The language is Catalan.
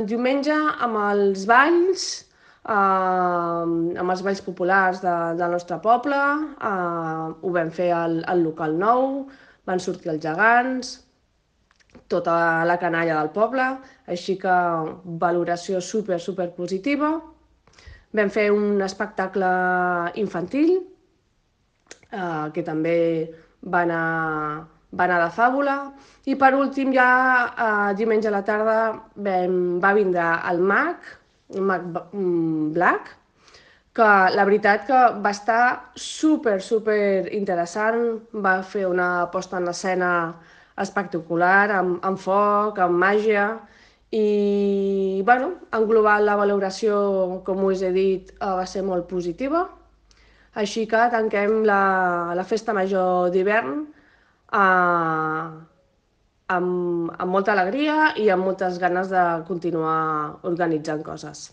Diumenge amb els balls, amb els balls populars del nostre poble, ho vam fer al local nou, van sortir els gegants, tota la canalla del poble, així que valoració super positiva. Vam fer un espectacle infantil, que també va anar de fàbula. I per últim, ja diumenge a la tarda va vindre el mag Black, que la veritat que va estar super interessant, va fer una posta en escena espectacular, amb foc, amb màgia, i bueno, en global la valoració, com us he dit, va ser molt positiva. Així que tanquem la festa major d'hivern amb molta alegria i amb moltes ganes de continuar organitzant coses.